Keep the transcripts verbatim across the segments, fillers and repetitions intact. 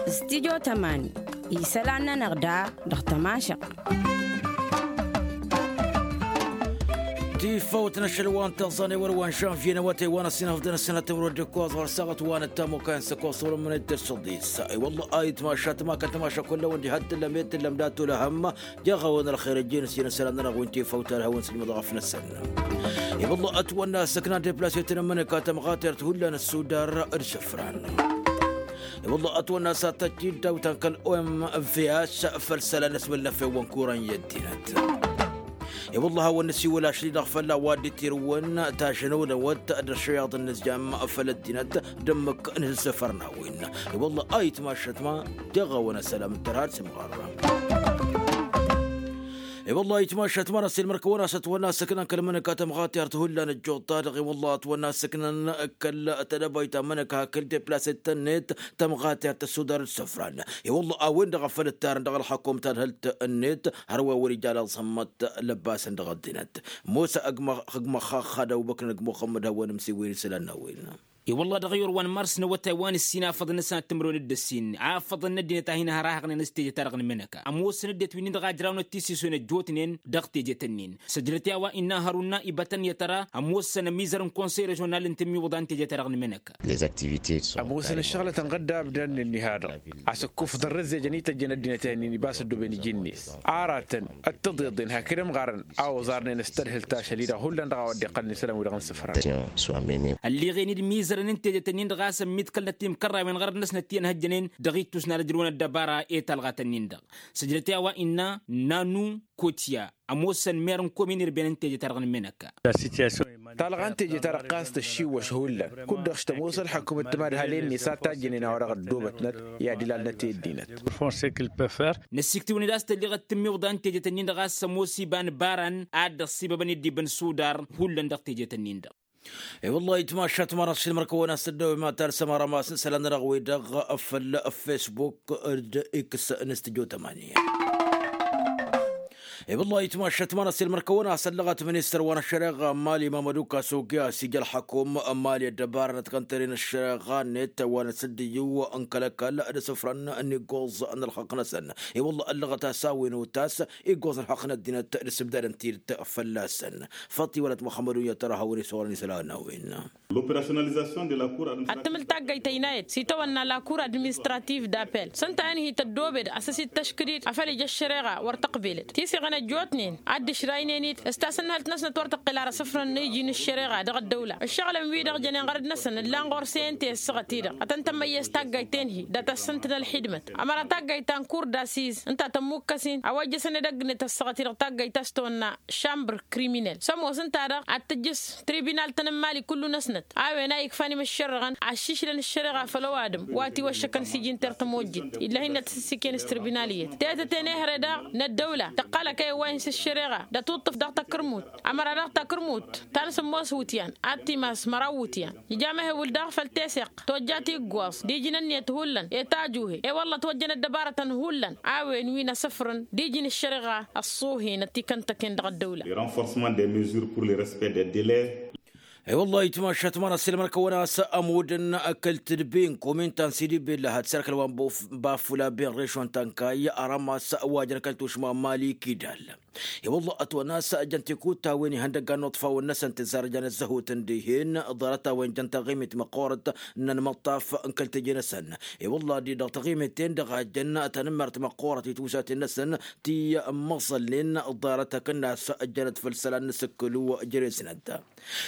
Studyo tămani isălan-nănăɣ da dăɣ-tămašăɣt. Tifăwt n-ašăl wa n-taẓan i-wăr wa n-žănvye n-awătay wa n-ăssinăfḍăn ăssinăt timǝrwăd d-ǝkkoẓ ɣur-saɣăt wa n-ăttamukay n-săkoẓ wăr ămănăy d-tăssăḍis. I-wălla a itmašat ma kăl-tămaša kull-awăn diha d-tǝllăm i-tǝllăm dat-olăhăm. Jaɣ-awăn ălxer ăjjeen s-inăsălan-nănăɣ wi n-tifăwt ad-hawăn s-ijmăḍ ɣăf-năsăn. I-wălla ătwănna ăssăknan deplase-ten n-imǝnǝka tămɣatert hullan ăssudar d-isǝfran. I-wălla ătwănna s-ad-tăjj-dd dawt-an kăl-omvs făll-isălan n-asmǝl n-efew wa n-kuran i-ăddinăt. I-wălla a hawăn-năsiwǝl ašli-dăɣ făll-a-wa dd-itirǝwăn tažănăwnăwăt d-ăššăyaḍ n-inǝzjam făll-ăddinăt d-ǝmmǝk n-isǝfărnawen. I-wălla a itmašăt ma jaɣ-awăn ăsălam d-tărha d-simɣarra. I-wălla a itmašăt ma n-ăsilmăr-kăwăn-asăt wănna ăssăknan kăl-imǝnǝka tămɣatert hullan ăjjuḍ-ta-dăɣ i-wălla a ătwănna ăssăknan kăl-tedăbayt ta n-imǝnǝka hakd deplase-t-net tămɣatert ăssudar d-isǝfran. I-wălla a-wen-dăɣ a făl ǝttarăn dăɣ-ălxăkum tadhǝlt-net hărwa wăr-ija laẓhămmăt lăbbasăn dăɣ-ăddinăt. Musa ăgg-măxxax had-ăbubăkr n-ăgg-muxămmăd hawăn-ǝmsiwen isălan n-a-wen. I-wălla dăɣ-i wăr-wa n-mars n-awătay wa n-ǝssin afăḍăn-năsăn ad-tǝmrǝwăn d-ǝssin afăḍăn n-ăddinăt a hin-hărahăɣnen s-teje-ta-dăɣ n-imǝnăka ămoosăn ăddinăt wi-nin-dăɣ a ǝjrawnăt tisiswen ăjjootnen dăɣ-tejet-nin. Săjdăt i-a-wa innă hărunna ibătăn i-ad-tăra ămoosăn ămizăr n-konsăy režional n-tǝmmiwǝḍa n-teje-ta-dăɣ n-imǝnăka. Ămoosăn ǝššăɣǝlăt ănɣădda abdăn n-ǝnnihadăɣ. Asǝkkuf d-ărrǝzzejăn ităjjăn ăddinăt-ih-nin ibas ăddooben iji-net aratăn d-tiḍeḍen hakd ămɣarăn a oẓarnen s-tadhǝlt ašăl-i-dăɣ hullan dăɣ-a-wa dd-iqqălăn isălan-wi-dăɣ n-isǝfran. Ălliɣen-dd imizărăn n-tejet-nin-dăɣ a-s ămmiḍkălnăt imkărrawen ɣărăt-năsnăt ti ănhăjjănen dăɣ-ittus n-ad-ăj ǝjrǝwăn ăddăbara i-talɣat-nin-dăɣ. Săjdăt i-a-wa innă nanu kotya ămoosăn mer n-komin irben n-teje-ta-dăɣ n-menăkka. Talɣa n-teje-ta-dăɣ ɣas tăššiwwăš hullan kud-dăɣ s-tămoos ălḥăkum d-timadhalen-net a tajjănen a-wa dăɣ-ăddoobătnăt i-ad-ilalnăt i-ăddinăt. Năsiktiwăn-dd a-s tălliɣăt tǝmmiwḍa n-tejet-nin-dăɣ a-s ămoos iba n-ibaran ad-dd-ăṣṣibăbăn i-dd-ibǝn sudar hullan dăɣ-tejet-nin-dăɣ. I-wăllah itmašat mara s-ilmăr-kăwăn-as tăddăwem ad-talsăm arămas n-isălan-nănăɣ-wi-dăɣ făll-facebook d-x n-studyo tămani. I-wăllah itmašat mara s-ilmăr-kăwăn-as ăllăɣăt ministăr wa n-ăššăreɣa n-mali mamădu kasugi a-s ija ălḥăkum n-mali ăddăbarănăt kăntăre n-ăššăreɣa-net wa n-asǝddǝyǝw n-kăl-ăkall d-asǝfrăn n-iggoẓ n-ălxăqq-năsăn. I-wăllah ăllăɣăt a-s a-wen otas iggoẓ ălxăqq n-ăddinăt d-asǝbdadăn tidǝt fălla-săn. Făṭṭi wăla t-muxămmăd unyăt tărha a-wen isuɣrăn isălan n-a-wen. Ad-tǝmǝl taggayt ăynayăt s-itawănna la kur administrativ d-apel s-ǝnta a inhǝy tăddoobed a-s ăsităškǝd-dd afăl ija ăššăreɣa wăr tăqbelăd tisiɣăn ăjjootnen ad-dd-ǝšraynen-dd s-tasǝnhălt-năsnăt wăr tăqqǝl ar asǝfrăn n-iji n-ăššăreɣa dăɣ-ăddăwla ăššăɣǝlăn-wi-dăɣ jănen ɣărăd-năsăn ǝllan ɣur-s i-ǝnta i-ăssaɣăt-i-dăɣ ad-tăn-tămmăyyăs taggayt tenhi dat-asǝntǝn ălxidmăt ămăra taggayt ta n-kur d-asis ǝnta tămmukkăs-in a-wa ijjăsăn edăgg-net ăssaɣăt-i-dăɣ taggayt ta s-tawănna šambăr kriminel s-ămoos ǝnta-dăɣ ad-tǝjjǝs tribinal-tăn n-mali kullu-năsnăt a-wen a ikfan imǝššărrăɣăn aššišlăn ăššăreɣa făll-ăwadǝm wa tiwăššăkăn s-iji n-tertăm ojjǝn. Illa hin-năt s-ǝssiken s-tribinal iyyăt tetăt-en ehăre daɣ n-ăddăwla tăqqal ăkayăn wa hin-s ăššăreɣa d-atuṭṭǝf dăɣ-takărmut ămăra daɣ takărmut ta n-sǝmmos wǝtyan ad-timas măraw wǝtyan. Ija amehewǝl daɣ făll-teseɣt tojjat iggoẓ d-iji n-ǝnniyăt hullan i-tajuhe i-wălla ătwăjjăn ăddăbarătăn hullan a-wen wi n-asǝfrăn d-iji n-ăššăreɣa ăṣṣuhen ătikăntăken dăɣ-ăddăwla. Renforcement des mesures pour le respect des délais. I-wăllah itmašat mara s-ilmăr-kăwăn-as ămudăn kăl-tǝdbi n-komin ta n-sidi bella had-serkăl wa n-bafula ben režon ta n-kayy arămas wa jăn kăl-tušma n-mali kidal. I-wăllah ătwănna a-s jăn tikut ta-wen ihăndăggan n-uṭfawăn-năsăn tǝzzarăjăn ăzzăhutăn dihen ḍarăt-a-wen jăn taɣimit măqqoorăt n-ănmăṭṭaf n-kăl-teje-năsăn. I-wăllah di-dăɣ taɣimit-ten-dăɣ a jăn tanǝmmert măqqoorăt i-tiwsaten-năsăn ti ămmăẓălnen ḍarăt hakd-năs ăjjănăt făll-isălan n-asǝkkǝlu jere-snăt.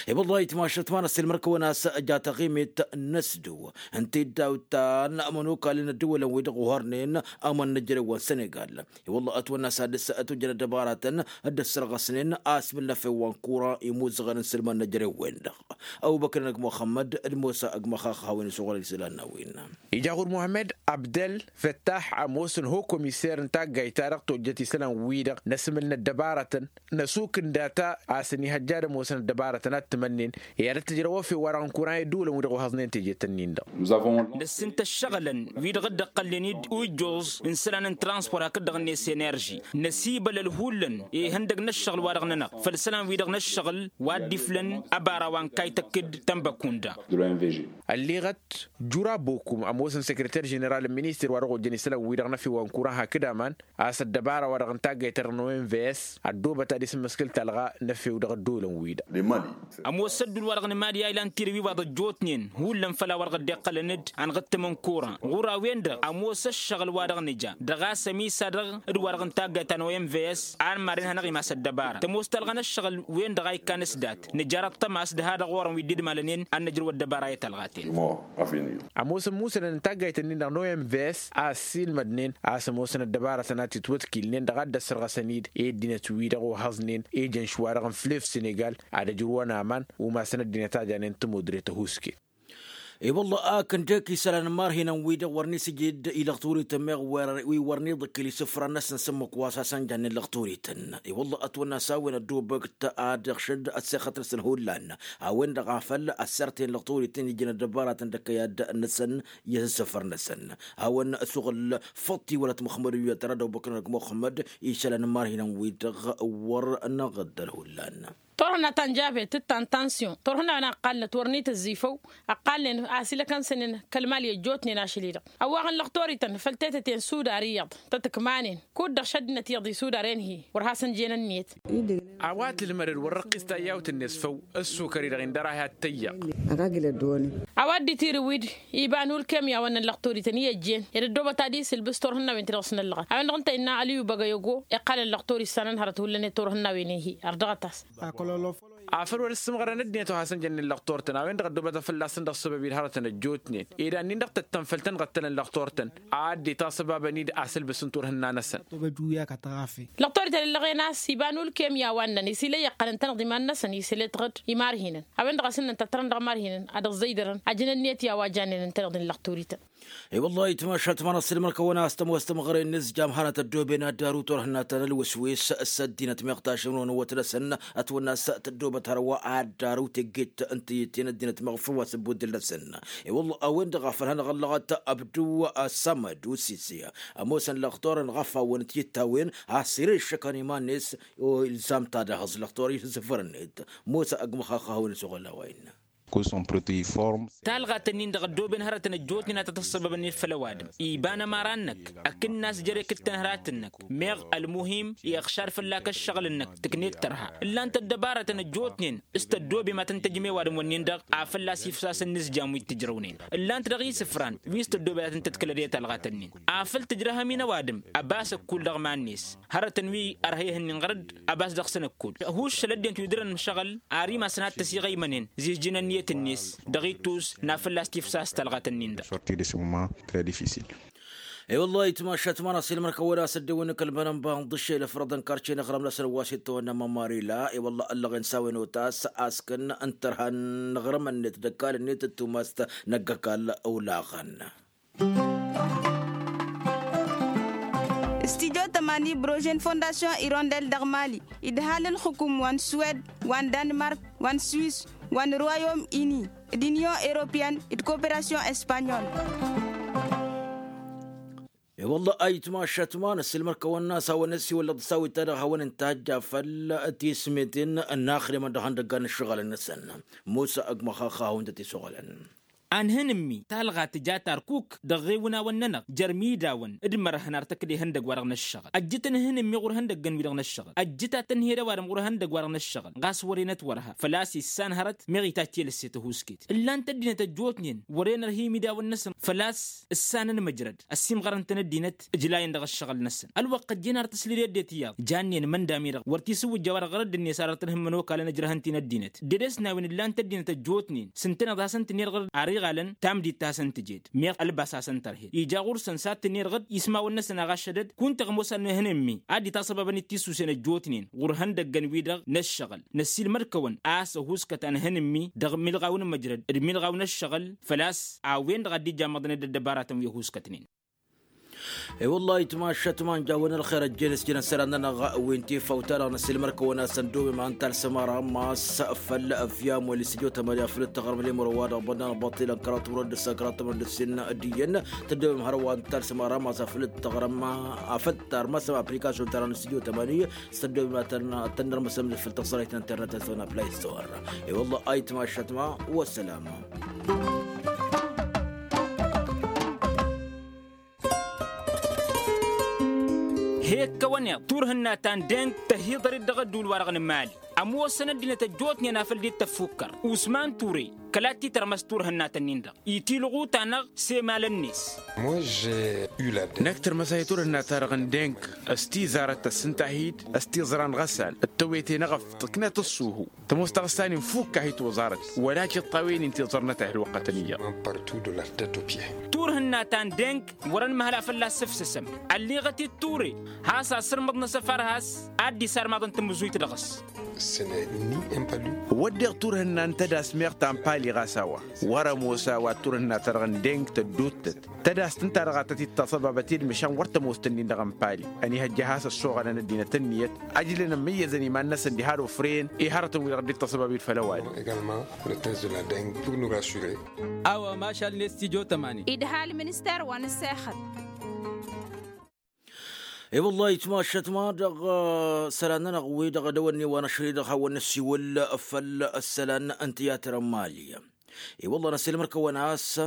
I-wăllah itmašat ma n-ăssilmăr-kăwăn a-s ja taɣimit n-asǝdǝw ǝnta i-dd-awǝttan ămănokal n-ăddăwălăn-wi-dăɣ ohărnen ămănnăjrăwăn sănegal. I-wălla ătwănna s-ad-dăr-s ătwăjjăn ăddăbaratăn dd-ăssărɣăsnen asmǝl n-efew wa n-kura imuzăɣăn n-sǝlmăn n-ejrew-wen-dăɣ. Ăbubăkr n-ăgg muxămmăd d-musa ăgg măxax a hawăn-isuɣǝl isălan n-a-wen. Ija ɣur-muhămmăd abdăl făttax ămoosăn ho komiser n-taggayt-ta-dăɣ tojjăt isălan-wi-dăɣ n-asmǝl n-ăddăbaratăn n-ăsuk n-data a-s ănihăjja d-ămoosăn ăddăbaratăn ad-tǝmănnen I-ad-ăttǝjrăw efew-wa-dăɣ n-kuran i-ǝddǝwǝlăn-wi-dăɣ ohăẓnen teje-tăn-in-dăɣ. Năssintă ǝššăɣǝlăn wi-dăɣ dd-ăqqălnen-dd ujjoẓ n-isălan n-transport hakd-dăɣ-net enerži năsibălăl hullan ihăndăg n-ǝššăɣǝl-wa-dăɣ-nănăɣ făll-isălan-wi-dăɣ n-ǝššăɣǝl wa dd-iflăn ăbara wa n-kaytăkk d-tănbăkunda. Ălleɣăt jura bokum ămoosăn sekreter ženeral n-minister wa dăɣ-ojjăn isălan-wi-dăɣ n-efew wa n-kuran hakd aman a-s ăddăbara-wa-dăɣ n-taggayt-ta-dăɣ n-o m v s ăddoobăt ad-isǝmmǝskǝl talɣa n-efew dăɣ-ăddolăn-wi-dăɣ. Ămoos ădduul-wa-dăɣ n-mad i-aylan tirǝw iwaḍ ăjjootnen hullan făll-a-wa-dăɣ dd-iqqălăn-dd anɣǝttǝm n-kuran ɣur-a-wen-dăɣ ămoos ăššăɣǝl-wa-dăɣ nǝja dăɣ-a-s ămisa dăɣ-dd-wa-dăɣ n-taggayt ta n-o m v s. An maren hanăɣ-imas ăddăbara tămoos talɣa n-ăššăɣǝl-wen-dăɣ a ikkan s-dat nǝjar ăṭṭăma a-s dăha-dăɣ ɣur-ăn wi dd-idmalănen ad-năjrǝw ăddăbara i-talɣaten. Ămoos ămmusănăn n-taggayt-ǝnnin-dăɣ n-o m v s a ăssiilmădnen a-s ămoosăn ăddăbaratăn a t-itwătkilnen dăɣ-a dd-ăssărɣăsăn-dd i-ăddinăt-wi-dăɣ ohăẓnen ejăn šwa-dăɣ n-flef senegal ad-ăjrǝwăn aman umasăn ăddinăt a janen tămudre tăhusket. I-wălla a kăndek isălan n-imarhinăn-wi-dăɣ wăr n-isǝjǝd ilăɣturităn meɣ wi wăr n-iḍǝkkǝl isǝfran-năsăn s-ǝmmǝk wa s-hasăn jannen lăɣturităn i-wălla ătwănna s-a-wen ăddoobăkt ad-iɣšǝd ăssexăt-năsăn hullan a-wen-dăɣ a făl ăssărten lăɣturităn ijăn ăddăbaratăn d-ăkkăyad-năsăn i-isǝfăr-năsăn. Hawăn-ăsuɣǝl făṭṭi wălăt muxămmăd wi-dăɣ tăra d-ăbubăkăn ăgg muxămmăd. Isălan n-imarhinăn-wi-dăɣ wăr năɣǝddăl hullan. Turhǝnna ta n-jabet d-tantansyon turhǝnna-wen a ǝqqalnăt wăr n-itǝzzifăw ǝqqalnen a-s ilăkăn-săn-in kăl-mali ăjjootnen ašăl-i-dăɣ ăwwaɣăn lăɣtorităn făll-tetăte n-sudar iyyăḍ tăt-ǝkmanen kud-dăɣ šăddinăt iyyăḍ isudar enhi wăr hasăn-jen ǝnniyăt. A-wa tǝlmădăd wăr răqqis tayyawt-net făw ǝssukăr-i-dăɣ indăr-ahi ad-tăyyaɣ. A-wa dd-itirǝw-dd iba n-ulkem i-a-wănnăn lăɣtorităn i-ăjjeen ed ăddoobăt ad-isǝlbǝs turhǝnnawen ti-dăɣ s-năllăɣăt a-wen-dăɣ ǝnta innă ăliyu băgăyogo iqqalăn lăɣtori s-sanăn hărăt hullan i-turhǝnnawen-i-hi ărdăɣăt-as. Afăl wăr ǝssǝmɣărăn ăddinăt wa hasăn-jănnen lăɣtor-tăn a-wen-dăɣ ăddoobătăn fălla-săn dăɣ-săbab-i d-hărătăn ăjjootnen ed annin-dăɣ tăttăn făll-tăn-ɣăttălăn lăɣtor-tăn a dd-itasăbabăn-dd asǝlbǝs n-turhǝnna-năsăn. Lăɣtorităn ǝllăɣen a-s iba n-ulkem i-a-wa ǝnnăn isilăy iqqălăn-tăn-dăɣ iman-năsăn isǝletăɣ-dd imarhinăn a-wen-dăɣ a-s ǝnnăn tăttărăn dăɣ-imarhinăn ad-ǝẓẓăydărăn ajăn ǝnniyăt i-a-wa jannen ǝntăneḍ-in lăɣtorităn. I-wăllah itmašat ma n-ăṣṣilmăr-kăwăn a-s tămoos tămɣăre n-inǝzjam hanăt-ăddooben ad-daru turhǝnna ta n-ălwǝswes s-ăddinăt meɣ tašǝmrǝwăn ăwwăt-năsăn ătwănna a-s tăddoobăt hărwa ad-daru tegget n-tǝyyǝtte n-ăddinăt meɣ făw a-s ăbbuddǝl-năsăn. I-wăllah a-wen-dăɣ a făl hanăɣ-ăllăɣăt abdu ăssămăd usisi ămoosăn lăxtor-en ɣăf-awăn tiyyǝt-ta-wen a-s ere ǝššăkăn iman-net. Ilzam-t ad-ehăẓ lăxtor-i s-asǝfăr-net. Mosa ăgg măxaxxăh a-wen ăsoɣăl a-wa innă. Talɣa-tăn-in-dăɣ ăddooben hărătăn ăjjootnen a tăt-ăssăbăbăn-dd făll-ăwadǝm iba n-ămăra-năk ăkǝnnas jer-ekǝttăn hărat-năk. Meɣ ălmuhim iɣšad fălla-k ăššăɣǝl-năk tǝknet tărha ǝllan-t ăddăbarătăn ăjjootnen s-tăddobem a tăn-tăjjem i-ăwadǝm-wǝnnin-dăɣ a fălla-s ifsas ǝnnǝzjam wi t-ǝjrăwnen. Ǝllan-t dăɣ-isǝfran wi s-tăddobem a tăn-tătkălăd i-talɣa-tăn-in afăl tǝjrăhăm-in ăwadǝm ăbas ăkkull dăɣ-iman-net. Hărătăn wi ărhăyăh-nin ɣăr-dd ăbas dăɣ-săn ǝkkull huššăl ăddinăt wi dăr-ănmăšăɣăl ar imasăn ad-tăsiɣăymănen. Zižjǝn ǝnniyăt-net dăɣ-ittus n-afăl a-s tifsas talɣa-tăn-in-dăɣ. I-wăllah itmašat ma n-asilmăr kăwăd a-s ăddewăn n-kăl-mănănba n-ḍǝššel ăfrăḍăn karce n-aɣrăm-năsăn wa s-ittăwănna mămarila i-wăllah ăllăɣen s-a-wen otas a-s kăn n-tărha n-aɣrăm-net d-ăkall-net d-tumast n-ăgg-ăkall. Olaɣăn. Studyo tămani brožen fondasyon irondel dăɣ-mali idhal ǝlxǝkum wa n-suwed wa n-danmark wa n-swis wa n-royom ini d-inyon europeyăn d-koperasyon espanyol. I-wălla a itmašat ma n-ăssiilmăr-kăwăn-nas hawăn-ăssiwăllăɣ d-sawit-ta-dăɣ hawăn-ǝntajj afăl tismeten n-axdimăn dăɣ-ihăndăggan n-ǝššăɣǝlăn-năsăn. Musa ăgg măxaxa hawăn-tăt-isuɣǝlăn. Anhǝnǝmmi talɣa tǝja tarkuk dăɣ-iwǝnawăn-nănăɣ jer-imidawăn d-imărhăn ar tăkd ihăndăgg-wa-dăɣ n-ǝššăɣǝl ăjjǝtăn ihǝnǝmmi ɣur-ihăndăggăn-wi-dăɣ n-ǝššăɣǝl ăjjǝt ad-tăn-hi-ed ăwadǝm ɣur-ihăndăgg-wa-dăɣ n-ǝššăɣǝl ɣas wăren ătwărha făl-a-s issan hărăt meɣ itacc i-lăsset ăhuusket. Ǝllan-t ăddinăt ăjjootnen wăren ărha imidawăn-năsăn făl-a-s ǝssanăn măjrăd ăssiimɣărăn-tăn ăddinăt ǝjlayăn dăɣ-ǝššăɣǝl-năsăn. Ălwăqq ăjjeen ar tăsled i-ăddinăt iyyăḍ jannen imăndam-i-dăɣ wăr t-isǝwwǝjja a-wa-dăɣ ɣărădd-net ar ătnăhǝmmăn okal ănăjrăhăn-t-in ăddinăt. Dd-edes n-a-wen ǝllan-t ăddinăt ăjjootnen s-ǝntăneḍ a hasăn-tǝnnerɣăd ar iɣalăn tamdit ta hasăn-tǝjed meɣ ălbas a hasăn-tărhed ija ɣur-săn s-ad-tǝnnerɣăd ismawăn-năsăn a ɣaššădăd kunta ɣămoos ad-nǝhǝnǝmmi. Ad-dd-itasăbabăn d-tisusen ăjjootnen ɣur-ihăndăggăn-wi-dăɣ n-ǝššăɣǝl năssiilmăd-kăwăn a-s ăhuuskăt anhǝnǝmmi dăɣ-imǝlɣaw n-imǝjrăd d-imǝlɣaw n-ǝššăɣǝl făl-a-s a-wen-dăɣ a dd-ijamăḍnen d-ăddăbaratăn wi ăhuuskătnen. E-wălla-hi tmašat ma n-jawăn ălxer ăjjeen s-jănăn isălan-nănăɣ wi n-tifawt-ta-dăɣ n-asǝlmăr-kăwăn a-s ăndobem a ǝnta alsămara ma s-făll-ăfyam wăla s-ijotămăni afăl d-tăɣrăm lemăr wa dăɣ-bănnan băṭṭilăn kăraḍ timrăd d-ǝssa kăraḍ timrăd d-ǝssin d-iyyăn. Tăndobem hărwa n-ǝnta alsămara ma s-afăl d-tăɣrăm afăl tarmăsăm aplikasyon-ta-dăɣ n-ijotămăni s-tăndobem ad-tăn-nărmăsăm făll-tăɣsărăyt n-internet s-tăwănna play store. E-wălla-hi tmašat ma. Wăssalama. He-ǝkkăwăn iḍ turhǝnna ta n-deng tăhiḍăr-dd dăɣ-ădduul-wa-dăɣ n-imali. Ămoosăn ăddinăt ăjjootnen afăl dd-tăffukkăr usman ture kăla t-titărmăs turhǝnna-tăn-in-dăɣ itilɣu-ta-năɣ s-emalăn-net. Năkk tărmăs a hi-turhǝnna-ta-dăɣ n-deng s-tizarăt tăssǝnta-hi-dd s-tiẓra n-iɣăssan d-tăwete n-eɣăf tǝknăt ǝṣṣuhu. Tămoos taɣǝssan-in fukk a hi-toẓarăt wăla cǝṭṭawen-in tiẓărnăt a hi-ălwăqqătăn iyyăḍ. Turhǝnna ta n-deng wăr-ănmăhăl a fălla-s sǝfsǝsăm. Ălliɣăt-dd ture has-asǝrmǝḍ n-asăfar has-ad-dd-isarmaḍăn tamǝzuyt dăɣ-s. Wădden turhǝnna n-tădas meɣ ta n-pali ɣas a-wa wăr-ămoos a-wa turhǝnna-ta-dăɣ n-deng tădduuttăt. Tădast ǝnta-dăɣ a tăt-dd-taṣăbabăt i-dd măšan wăr tămoos-tăn-in-dăɣ n-pali ănihăjja has-ăssoɣălăn ăddinăt ǝnniyăt. Ajlăn ămmǝyyăzăn iman-năsăn diha d-ofrăyăn i-hărătăn-wi-dăɣ dd-taṣăbab i-dd făll-ăwadǝm. Également le test de la dengue pour nous rassurer. A-wa mašal n-estidyo tămani. Idha ălminister wa n-ǝssexăt. I-wăllah itmašăt ma dăɣ-isălan-nănăɣ wi-dăɣ dăwănni wa n-ašăl-i-dăɣ hawăn-năssiwǝl făll-isălan n-tiyatăr n-mali. I-wăllah năsilmăr-kăwăn a-s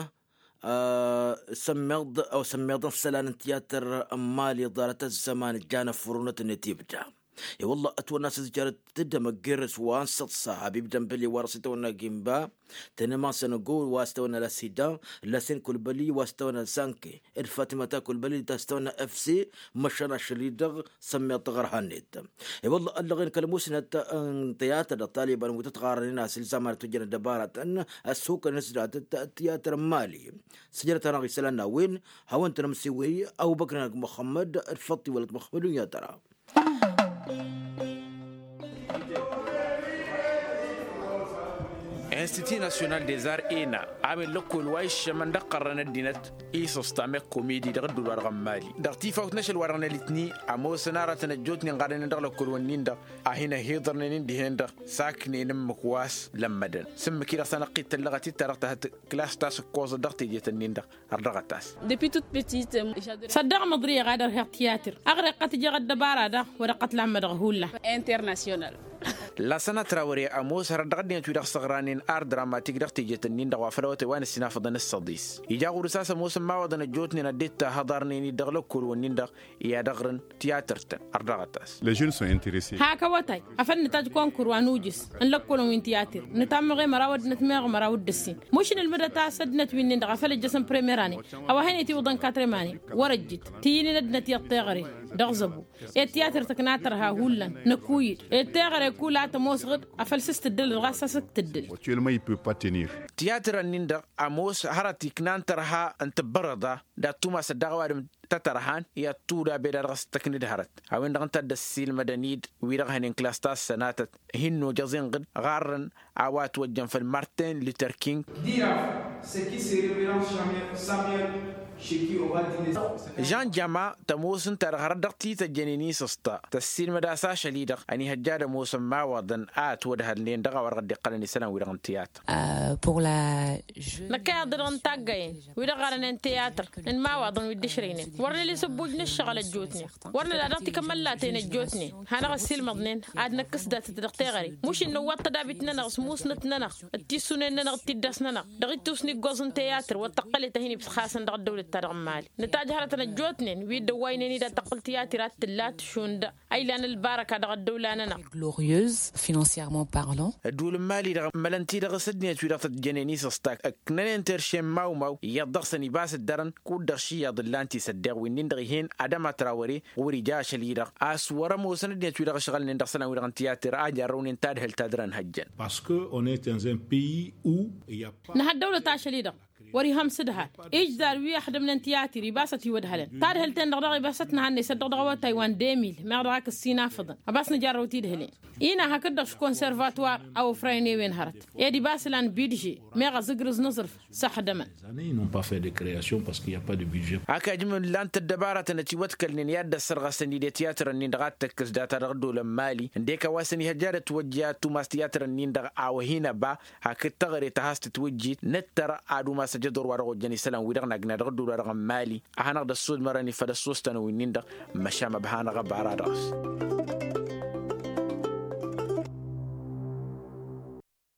sămmeḍ ăw sămmeḍăn isălan n-tiyatăr n-mali ḍarăt ăzzăman ǝjjan ăffurunăt-net ibda. I-wăllah ătwănna a-s ǝzjarăt d-amăggirǝs wa n-săḍsa habib dămbăli wa dăɣ-s itwănna gimba tănămasăn go wa s-tawănna la sida. Lasen kulbăli wa s-tawănna sanke d-fatimăta kulbăli ta s-tawănna fc. Măšan ašăl-i-dăɣ sămmeḍ taɣărha-net. I-wălla ăllăɣen kăl-musnăt n-tiyatăr dăɣ-taliban wi tăt-ɣarrănen a-s ilzaman ătwăjjăn ăddăbaratăn ăssukăn s-datăt tiyatăr n-mali. Sǝjrăt-anăɣ isălan n-a-wen hawăn-tăn-ămsiwăy. Ăbubăkr-anăɣ măxămmăd d-făṭṭi wăla t-măxămmăd unyatăra. Institut national des arts ena a-wen lăkkol wa iššămăn d-ăqqărrăn ăddinăt isǝstam i-komidi dăɣ-ădduul-wa-dăɣ n-mali dăɣ-tifawt n-ašăl-wa-dăɣ n-elitni. Ămoosăn aratăn ăjjootnen ɣarrănen dăɣ-lăkkol-wǝnnin-dăɣ a hin-ăhiḍărnen ǝndihnen-dăɣ saknen ǝmmǝk wa s-lămmădăn s-ǝmmǝk-i-dăɣ s-anăqqit tăllăɣăt-dd ta dăɣ-tahăt klas ta s-ǝkkoẓăt dăɣ-tejet-nin-dăɣ. Ărdăɣăt-as. Săddăɣ măḍriyăɣ ad-ărheɣ tiyatǝr ăɣreɣ-tăt ijăɣ ăddăbara-dăɣ wăr-ăqqăt lammădăɣ hullan. Internasyonal. Lasăn ătrawăre ămoos hărăt dăɣ-ăddinăt wi-dăɣ săɣranen ar dramatik dăɣ-tejet-nin-dăɣ wa făl awătay wa n-ăssinafăḍăn s-săḍis. Ija ɣur-s a-s ămoosăn imawăḍăn ăjjootnen a dd-tahăḍarnen-dd dăɣ-lăkkol-wǝnnin-dăɣ i-ad-ăɣrǝn tiyatăr-tăn. Ărdăɣăt-as. Hakawătay afăl nǝtaj konkur wa n-ujǝs n-lăkkolăn wi n-tiyatăr nǝtamăɣe măraw ăddinăt meɣ măraw d-ǝssin. Mušǝn ǝlmǝdăt a-s ăddinăt wi-nin-dăɣ afăl ǝjjăsăn premira-nen a-wa hen-itiwǝḍăn katremane. Wăr-ăjjǝt ti-inin ăddinăt iyyăḍ teɣăre dăɣ-zăbu. Ed tiyatăr tǝkna tărha hullan năkuy-dd ed teɣăre kul a tămoosăɣ-dd. Afăl s-s-tǝddǝlăd ɣas a-s s-tǝddǝl. Tiyatărăn-nin-dăɣ ămoos hărăt iknan tărha n-tǝbbărăḍa. D-ad-tumasăt daɣ ăwadǝm tăt-ărhan i-ad-tuda beda dăɣ-s tăknǝd hărăt. A-wen-dăɣ ǝnta a dd-ăssiilmădăn-dd wi-dăɣ hănen klas ta s-sănatăt. Hin-nojăẓ inɣǝd ɣarrăn a-wa ătwăjjăn făll-martin luter king. Jan jama tămoos ǝnta-dăɣ hărăt dăɣ-t-tăjjănen isǝsṭa tăssiilmăd-as ašăl-i-dăɣ ănihăjja ad-ămoosăn imawaḍăn a ătwădhălnen dăɣ-a-wa dăɣ-dd-iqqălăn isălan-wi-dăɣ n-tiyatăr. Năkk a iyyăḍ-dăɣ n-taggăyen wi-dăɣ ɣarănen tiyatăr n-imawaḍăn wi dd-ǝšrăynen wăr nǝla isǝbbuj n-ǝššăɣǝl ăjjootnen. Wăr nǝla dăɣ-tikămăllaten ăjjootnen hanăɣ-ăssiilmăḍnen ad-năkkǝs datăt dăɣ-teɣăre. Mušǝn nǝwwăḍ tădabit-nănăɣ s-musnăt-nănăɣ d-tissunen-nănăɣ d-tiddăs-nănăɣ dăɣ-ittus n-iggoẓ n-tiyatăr wăr tăqqălet a hin-ibsxasăn dăɣ-ăddăwlăt-ta-dăɣ n-mali. Nǝtajhărătăn ăjjootnen wi dd-ăwwaynen-i d-ad-tăqqǝl tiyatăr ad-tǝlla ad-tǝšund. Ăylan ălbarăka dăɣ-ăddăwla-nănăɣ. Glorieuse financièrement parlant. Ădduul n-mali-dăɣ mălăn-t-dăɣ s-ăddinăt-wi-dăɣ tăt-jănen isǝstak ǝknănen terše n-imawmaw iyyăḍ dăɣ-săn ibas ǝddărăn. Kud-dăɣ ši iyyăḍ ǝllan-t isăddeɣ wi-nin-dăɣ ih'-en adăma trawăre. Ɣur-ija ašăl-i-dăɣ a-s wăr-ămoosăn ăddinăt-wi-dăɣ ǝšɣălnen dăɣ-isălan-wi-dăɣ n-tiyatăr a jarrăwnen tadhǝlt ta dăr-ănhăjjăn. Parce que on est dans un pays où il y a pas. Nǝha ăddăwlăt ašăl-i-dăɣ Wăr-ihăn s-ǝdhal ijzar wi ăxdămnen tiyatir ibas ătiwădhălăn tadhǝlt-en-dăɣ daɣ ibas ătnăhăn n-esăt dăɣ-dăɣ awătay wa n-demil meɣ dăɣ-ak ǝssin afǝḍăn. Ăbas nǝjarrăw tidhǝlen-i-năhăk dd-dăɣ s-konservatwar a ofrăyăn i-wen hărăt ed ibas lan bidže meɣ ăzǝgrǝz n-aẓrǝf s-ăxdămăn. Hak ajǝm ǝllan-t ăddăbaratăn ătiwătkălnen i-ad-dd-ăssărɣăsăn-dd i-tiyatrăn-in-dăɣ ad-tăkkǝs data dăɣ-dd-olăn mali ǝndek a-wa s-ănihăjja ad-ătwăjja tumas tiyatrăn-in-dăɣ a-wa hin-ăba. Hakd taɣre ta has-tǝtwǝjjit nǝttăr ad-umas ăjădor wa dăɣ-ojjăn isălan-wi-dăɣ n-agna dăɣ-ădduul-wa-dăɣ n-mali. A hanăɣ-dd-ăssudmărăn i-făll-ăssostanăn wi-nin-dăɣ măšan ăbhanăɣ ăbara dăɣ-s.